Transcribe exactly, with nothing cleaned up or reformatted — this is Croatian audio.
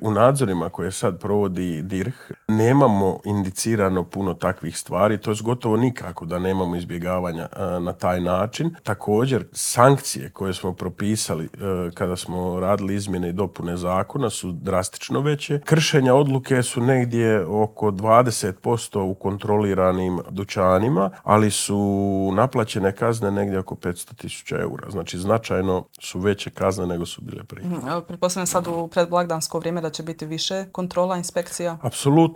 U nadzorima koje sad provodi D I R H nemamo indicirano puno takvih stvari, to je gotovo nikako da nemamo izbjegavanja na taj način. Također, sankcije koje smo propisali kada smo radili izmjene i dopune zakona su drastično veće. Kršenja odluke su negdje oko dvadeset posto u kontroliranim dućanima, ali su naplaćene kazne negdje oko petsto tisuća eura. Znači, značajno su veće kazne nego su bile prije. Pretpostavljam sad u predblagdansko vrijeme da će biti više kontrola, inspekcija? Apsolutno.